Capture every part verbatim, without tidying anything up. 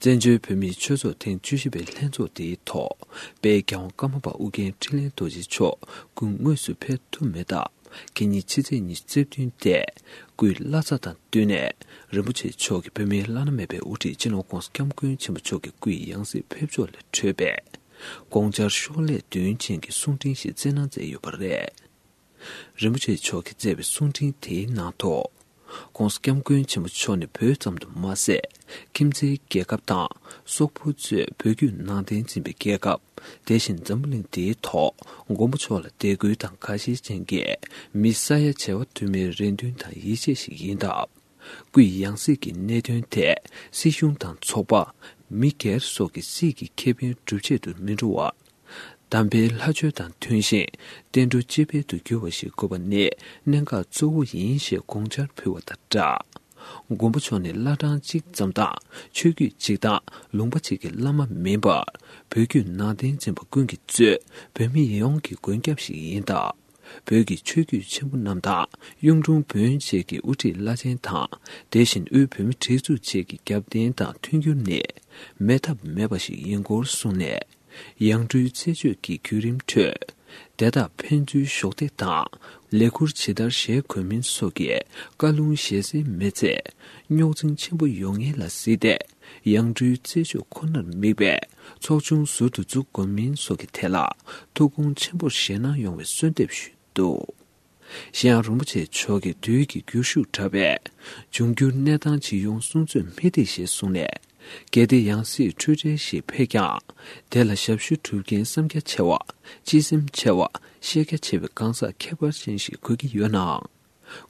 བཙན་བྱོལ་བོད་མིའི་ཆོས་ཚོགས་ཐེངས་བཅུ་བཞི་པའི་ལྷན་ཚོགས་དེའི་ཐོག་དཔལ་རྒྱལ་དབང་ཀརྨ་པ་ཨོ་རྒྱན་འཕྲིན་ལས་རྡོ་རྗེ་མཆོག་སྐུ་དངོས་སུ་ཕེབས་ཐུབ་མེད་སྟབས། ཁ་ཉིན་ཕྱི་ཚེས་ཉི་ཤུ་རྩ་བདུན་ཏེ། སྐུའི་བླ་གཟའ་དང་བསྟུན་ནས་རིན་པོ་ཆེ་མཆོག་གིས་བོད་མིའི་བླ་ན་མེད་པའི་དབུ་ཁྲིད་སྤྱི་ནོར་༧གོང་ས་༧སྐྱབས་མགོན་ཆེན་པོ་མཆོག་གི་སྐུའི་ཡང་སྲིད་ཕེབས་ཕྱོགས་ལས་འཕྲོས་པའི་དགོངས་འཆར་ཤོག་ལྷེ་བདུན་ཅན་གྱི་གསུང་འཕྲིན་ཞིག་བསྩལ་གནང་མཛད་ཡོད་པ་རེད། རིན་པོ་ཆེ་མཆོག་གིས་བསྩལ་བའི་གསུང་འཕྲིན་དེའི་ནང་དུ། ༸གོང་ས་༧སྐྱབས་མགོན་ཆེན་པོ་མཆོག་ནི་བོད་ཙམ་དུ་མ་ཟད། ཁྱིམ་མཚེས་རྒྱལ་ཁབ་དང་སོག་པོ་གཙོས་བོད་བརྒྱུད་ནང་བསྟན་འཛིན་པའི་རྒྱལ་ཁབ། དེ་བཞིན་འཛམ་བུ་གླིང་འདིའི་ཐོག་མགོན་པོ་མཆོག་ལ་དད་གུས་དང་དགའ་ཞེན་ཅན་གྱི་མི་ས་ཡ་བྱེ་བ་དུ་མའི་རེ་འདུན་དང་ཡིད་ཆེས་ཤིག་ཡིན་སྟབས། སྐུའི་ཡང་སྲིད་ཀྱི་གནད་དོན་ཐད་སྲིད་གཞུང་དང་ཚོགས་པ། མི་སྒེར་སོགས་ཀྱི་སྲིད་ཀྱི་ཁེ་ཕན་སྒྲུབ་ཆེད་དུ་མི་འགྲོ་བར། དམ་པའི་ལྷ་ཆོས་དང་མཐུན་ཞིང་བསྟན་འགྲོ་སྤྱི་དཔལ་དུ་འགྱུར་བ་ཞིག་དགོས་པ་ནི་གནད་འགག་གཙོ་བོ་ཡིན་ཞེས་དགོངས་འཆར་ཕུལ་བ་དང་སྦྲགས། མགོན་པོ་མཆོག་ནི་བླ་བྲང་གཅིག་ཙམ་དང་ཆོས་བརྒྱུད་གཅིག་དང་ལུང་པ་གཅིག་གི་བླ་མ་མིན་པར། བོད་བརྒྱུད་ནང་བསྟན་འཛིན་པ་ཀུན་གྱིས་གཙོས་བོད་མི་ཡོངས་ཀྱི་མགོན་སྐྱབས་ཤིག་ཡིན་སྟབས། བོད་ཀྱི་ཆོས་བརྒྱུད་ཆེན་པོ་རྣམས་དང་གཡུང་དྲུང་བོན་བཅས་ཀྱི་དབུ་ཁྲིད་བླ་ཆེན་དང་། དེ་བཞིན་དབུས་བོད་མིའི་སྒྲིག་འཛུགས་བཅས་ཀྱི་རྒྱབ་རྟེན་དང་མཐུན་འགྱུར་ནི་མེད་ཐབས་མེད་པ་ཞིག་ཡིན་སྐོར་གསུངས་ནས། ཡང་སྤྲུལ་རྩད་གཅོད་ཀྱི་བརྒྱུད་རིམ་ཁྲོད། དེ་དག་ཕན་ཚུན་གཞོགས་འདེགས་དང་ལས་ཁུར་ཇི་ལྟར་བཞེས་དགོས་མིན་སོགས་ཀྱི་བཀའ་ལུང་ཞལ་གསེང་མེད་ཚེ། རྙོག་འཛིང་ཆེན་པོ་ཡོང་ངེས་ལ་གཟིགས་ཏེ། ཡང་སྤྲུལ་རྩད་གཅོད་ཁོ་ནར་དམིགས་པའི་ཚོགས་ཆུང་ཟུར་དུ་འཛུགས་དགོས་མིན་སོགས་ཀྱི་ཐད་ལ་ཐུགས་དགོངས་ཆེན་པོར་བཞེས་གནང་ཡོང་བའི་གསོལ་འདེབས་ཞུས་འདུག། གཞན་ཡང་རིན་པོ་ཆེ་མཆོག་གིས་དུས་ཀྱི་འགྱུར་ཤུགས་དྲག་པས་འབྱུང་འགྱུར་གནས་སྟངས་ཇི་ཡོང་གསུང་ཚོད་མི་ཐིག་ཞེས་གསུངས་ནས། གལ་ཏེ་ཡང་སྲིད་འཁྲུལ་བྲལ་ཞིག་ཕེབས་ཀྱང་། དེ་ལ་ཞབས་ཞུ་སྒྲུབ་མཁན་བསམ་རྒྱ་ཆེ་བ། སྤྱི་སེམས་ཆེ་བ། ཤེས་རྒྱ་ཆེ་བའི་གང་ཟག་ཁྱད་པར་ཅན་ཞིག་དགོས་ཀྱི་ཡོད་ནའང་།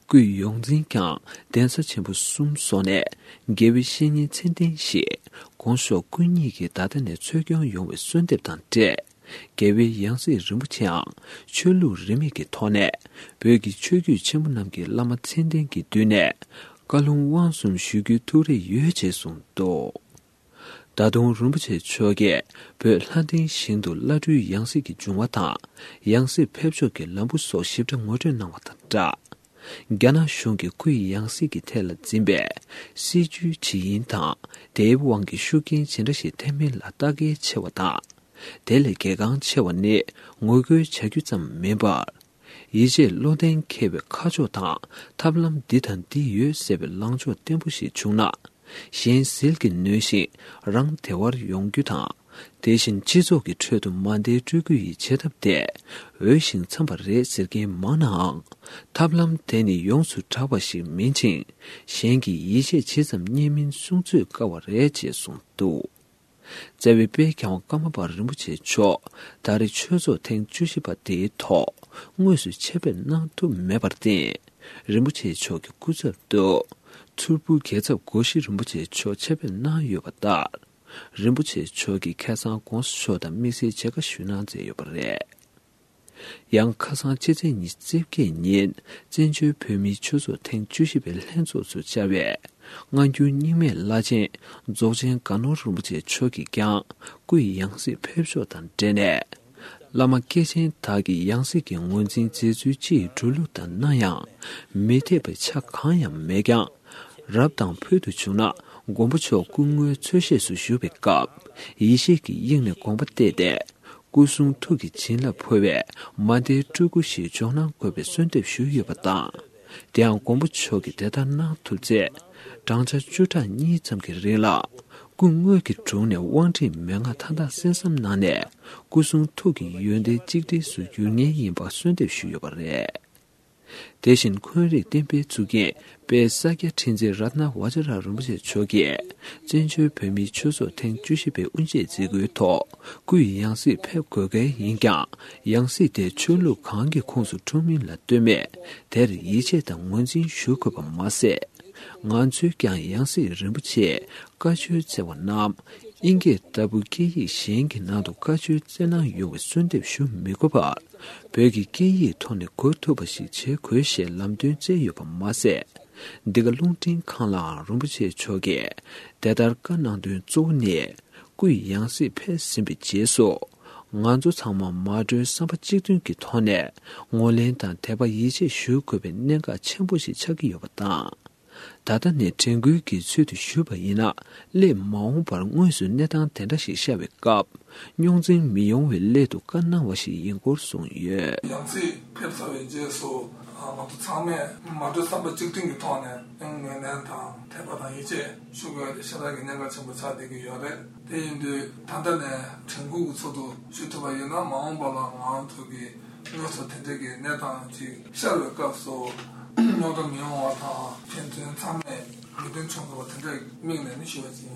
སྐུའི་ཡོངས་འཛིན་ཀྱང་གདན་ས་ཆེན་པོ་གསུམ་སོགས་ནས་དགེ་བའི་བཤེས་གཉེན་མཚན་ལྡན་ཞིག་དགོངས་ཞུ་སྐུ་ཉིད་ཀྱིས་ད་ལྟ་ནས་འཚོལ་སྐྱོང་ཡོང་བའི་གསོལ་འདེབས་དང་འབྲེལ། རྒྱལ་བའི་ཡང་སྲིད་རིན་པོ་ཆེའང་ཆོས་ལུགས་རིས་མེད་ཀྱི་ཐོག་ནས་བོད་ཀྱི་ཆོས་བརྒྱུད་ཆེན་པོ་རྣམས་ཀྱི་བླ་མ་མཚན་ལྡན་གྱི་མདུན་ནས་བཀའ་ལུང་དབང་གསུམ་ཞུ་རྒྱུའི་ཐུགས་རེ་ཡོད་ཅེས་གསུངས་འདུག། ད་དུང་རིན་པོ་ཆེ་མཆོག་གིས་བོད་ལྷ་ལྡན་ཞིང་དུ་བླ་སྤྲུལ་ཡང་སྲིད་ཀྱི་འབྱུང་བ་དང་། ཡང་སྲིད་ཕེབས་ཕྱོགས་ཀྱི་ལམ་བུ་སོགས་ཞིབ་ཕྲ་ངོ་སྤྲོད་གནང་བ་དང་སྦྲགས། རྒྱ་ནག་གཞུང་གིས་སྐུའི་ཡང་སྲིད་ཀྱི་ཐད་ལ་འཛིན་པའི་སྲིད་བྱུས་ཇི་ཡིན་དང་། དེའི་དབང་གིས་ཤུགས་རྐྱེན་ཇི་འདྲ་ཞིག་ཐེབས་མིན་ལ་ལྟ་གལ་ཆེ་བ་དང་། དེ་ལས་གལ་འགངས་ཆེ་བ་ནི་ངོ་རྒོལ་བྱ་རྒྱུ་ཙམ་མིན་པར། ཡིད་ཆེས་བློ་ལྡན་མཁས་པའི་ཁ་ཕྱོགས་དང་ཐབས་ལམ་འདི་དང་འདི་ཡོད་ཟེར་བའི་ལངས་ཕྱོགས་བརྟན་པོ་ཞིག་བྱུང་ན། གཞན་ཟིལ་གྱིས་གནོན་ཞིང་རང་བདེ་བར་ཡོང་རྒྱུ་དང་། དེ་བཞིན་སྤྱི་ཚོགས་ཀྱི་ཁྲོད་དུ་མ་བདེ་སྤྲོད་རྒྱུ་ཡི་བྱེད་ཐབས་དེ་འོས་ཤིང་འཚམས་པ་རེད་ཟེར་མཁན་མང་ནའང་། ཐབས་ལམ་དེ་ནི་ཡོངས་སུ་གྲགས་པ་ཞིག་མིན་ཅིང་། གཞན་གྱིས་ཡིད་ཆེས་ཇི་ཙམ་རྙེད་མིན་གསུང་ཚོད་དཀའ་བ་རེད་ཅེས་གསུངས་འདུག། བརྩེ་བའི་དཔལ་རྒྱལ་དབང་ཀརྨ་པ་རིན་པོ་ཆེ་མཆོག་ད་རེས་ཆོས་ཚོགས་ཐེངས་བཅུ་བཞི་པ་དེའི་ཐོག་དངོས་སུ་ཆེད་ཕེབས་གནང་ཐུབ་མེད་པར་བརྟེན། རིན་པོ་ཆེ་མཆོག་གི་སྐུ་ཚབ་ཏུ། མཚུར་ཕུ་རྒྱལ་ཚབ་སྒོ་བཞི་རིན་པོ་ཆེ་མཆོག་ཆེད་ཕེབས་གནང་ཡོད་པ་ལྟར། རིན་པོ་ཆེ་མཆོག་གིས་ཁ་སང་གོང་ས་མཆོག་དང་དམིགས་བསལ་མཇལ་ཁ་ཞུ་གནང་མཛད་ཡོད་པ་རེད། ཡང་ཁ་སང་ཕྱི་ཚེས་ཉི་ཤུ་རྩ་བརྒྱད་ཉིན་བཙན་བྱོལ་བོད་མིའི་ཆོས་ཚོགས་ཐེངས་བཅུ་བཞི་པའི་ལྷན་ཚོགས་སུ་བཅར་བའི་སྔ་འགྱུར་རྙིང་མའི་བླ་ཆེན་རྫོགས་ཆེན་དགའ་ནོར་རིན་པོ་ཆེ་མཆོག་གིས་ཀྱང་སྐུའི་ཡང་སྲིད་ཕེབས་ཕྱོགས་དང་འབྲེལ་ནས། བླ་མ་སྐྱེས་ཆེན་དག་གི་ཡང་སྲིད་ཀྱི་ངོས་འཛིན་མཛད་ཚུལ་སྤྱི་ཡི་འགྲོ་ལུགས་དང་སྣང་ཡང་མི་འཐད་པའི་ཆ་གང་ཡང་མེད་ཀྱང་། རབ་དང་ཕུལ་དུ་བྱུང་ན་མགོན་པོ་མཆོག་སྐུ་ངོའི་ཚོས་གཞས་སུ་བཞུགས་པའི་སྐབས་ཡེ་ཤེས་ཀྱི་དབྱིངས་ནས་དགོངས་པ་གཏད་དེ། སྐུ་གསུང་ཐུགས་ཀྱི་བྱིན་རླབས་འཕོ་བའི་མ་བདེའི་སྤྲུལ་སྐུ་ཞིག་འབྱོར་གནང་དགོས་པའི་གསོལ་འདེབས་ཞུས་ཡོད་པ་དང་། དེའང་མགོན་པོ་མཆོག་གིས་དེ་ལྟར་གནང་ཐུབ་ཚེ། བགྲང་བྱ་བཅུ་ཕྲག་གཉིས་ཙམ་གྱི་རིང་ལ་སྐུ་དངོས་ཀྱི་དྲུང་ནས་དབང་ཁྲིད་མན་ངག་མཐའ་དག་གསན་བསམ་གནང་ནས་སྐུ་གསུང་ཐུགས་ཀྱི་ཡོན་ཏན་གཅིག་སྒྲིལ་སུ་འགྱུར་ངེས་ཡིན་པ་གསོལ་འདེབས་ཞུས་ཡོད་པ་རེད། དེ་བཞིན་འཁོན་རིགས་བསྟན་པའི་གཙུག་རྒྱན་དཔལ་ས་སྐྱ་ཁྲི་འཛིན་རཏྣ་བ་ཛྲ་རིན་པོ་ཆེ་མཆོག་གིས་བཙན་བྱོལ་བོད་མིའི་ཆོས་ཚོགས་ཐེངས་བཅུ་བཞི་པའི་དབུ་འབྱེད་མཛད་སྒོའི་ཐོག་སྐུའི་ཡང་སྲིད་ཕེབས་དགོས་གལ་ཡིན་ཀྱང་། ཡང་སྲིད་དེ་ཆོས་ལུགས་གང་གི་ཁོངས་སུ་འཁྲུངས་མིན་ལ་ལྟོས་མེད་དེར་ཡིད་ཆེས་དང་ངོས་འཛིན་ཞུ་དགོས་པ་མ་ཟད། ང་ཚོས་ཀྱང་ཡང་སྲིད་རིན་པོ་ཆེས་བཀའ་ཆོས་སྩལ་བ་རྣམས་ཨིན་སྐད་ལྟ་བུ་སྐད་ཡིག་གཞན་གྱི་ནང་དུ་བཀའ་ཆོས་སྩལ་གནང་ཡོང་བའི་གསོལ་འདེབས་ཞུ་མི་དགོས་པར། བོད་ཀྱི་སྐད་ཡིག་ཐོག་ནས་གོ་ཐུབ་པ་ཞིག་བྱེད་དགོས་ཞེས་ལམ་སྟོན་སྩལ་ཡོད་པ་མ་ཟད། འདི་ག་རླུང་འཕྲིན་ཁང་ལའང་རིན་པོ་ཆེ་མཆོག་གིས་དེ་ལྟར་བཀའ་གནང་དོན་གཙོ་བོ་ནི། སྐུའི་ཡང་སྲིད་ཕེབས་ཟིན་པའི་རྗེས་སུ། ང་ཚོ་ཚང་མ་མ་གྲོས་བསམ་པ་གཅིག་མཐུན་གྱི་ཐོག་ནས་ངོས་ལེན་དང་དད་པ་ཡིད་ཆེས་ཞུ་དགོས་པའི་གནད་འགག་ཆེན་པོ་ཞིག་ཆགས་ཀྱི་ཡོད་པ་དང་། ད་ལྟ་ནས་དྲན་སྐུལ་གྱི་ཚུལ་དུ་ཞུས་པ་ཡིན་ན། སླད་མ་འོངས་པར་དངོས་སུ་གནས་སྟངས་དེ་འདྲ་ཞིག་ཤར་བའི་སྐབས། རྙོག་འཛིང་མི་ཡོང་བའི་སླད་དུ་བཀའ་གནང་བ་ཞིག་ཡིན་སྐོར་གསུངས་ཡོད། ཡང་སྲིད་ཕེབས་ཚར་བའི་རྗེས་སུ། ང་ཚོ་ཚང་མས་མ་གྲོས་བསམ་པ་གཅིག་མཐུན་གྱི་ཐོག་ནས་ངོས་ལེན་དང་དད་པ་དང་ཡིད་ཆེས་ཞུ་དགོས་ཡ་དེ་ཤ་སྟག་གི་གནད་འགག་ཆེན་པོ་ཆགས་བསྡད་ཀྱི་ཡོད་རེད། དེ་ཡིན་དུས་ད་ལྟ་ནས་དྲན་སྐུལ་གྱི་ཚུལ་དུ་ཞུ་ཐུབ་པ་ཡིན་ན། མ་འོངས་པ་ལ་ང་ཚོ་གི་དངོས་སུ་དེ་འདྲ་གི་གནས་སྟངས་ཅིག་ཤར་བའི་སྐབས་སུ་རྙོག་དྲ་མི་ཡོང་བ་དང་། ཕན་ཚུན་ཚང་མས་མོས་མཐུན་བྱུང་ཐུབ་པ་དེ་འདྲ་དམིགས་ནས་ནི་ཞུ་བ་ཅིག་ཡིན།